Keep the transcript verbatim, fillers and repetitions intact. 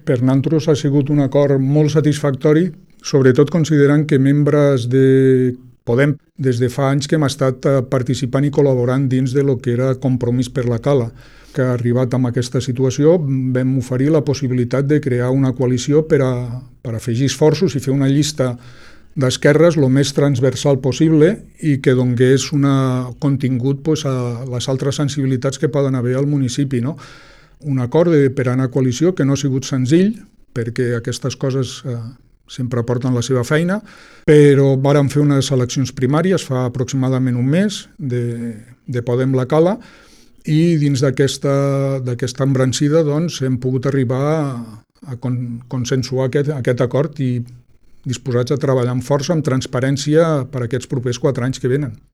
Per nosaltres ha sigut un acord molt satisfactori, sobretot considerant que membres de Podem des de fa anys que hem estat participant i col·laborant dins de lo que era Compromís per la Cala, que ha arribat amb aquesta situació, vam oferir la possibilitat de crear una coalició per a, per afegir esforços i fer una llista d'esquerres el més transversal possible i que donés un contingut pues, a les altres sensibilitats que poden haver al municipi. No? Un acord de, per anar a coalició que no ha sigut senzill, perquè aquestes coses eh, sempre porten la seva feina, però vàrem fer unes eleccions primàries fa aproximadament un mes de, de Podem la Cala i dins d'aquesta d'aquesta embrancida doncs, hem pogut arribar a, a con, consensuar aquest, aquest acord i disposats a treballar amb força, amb transparència per aquests propers quatre anys que venen.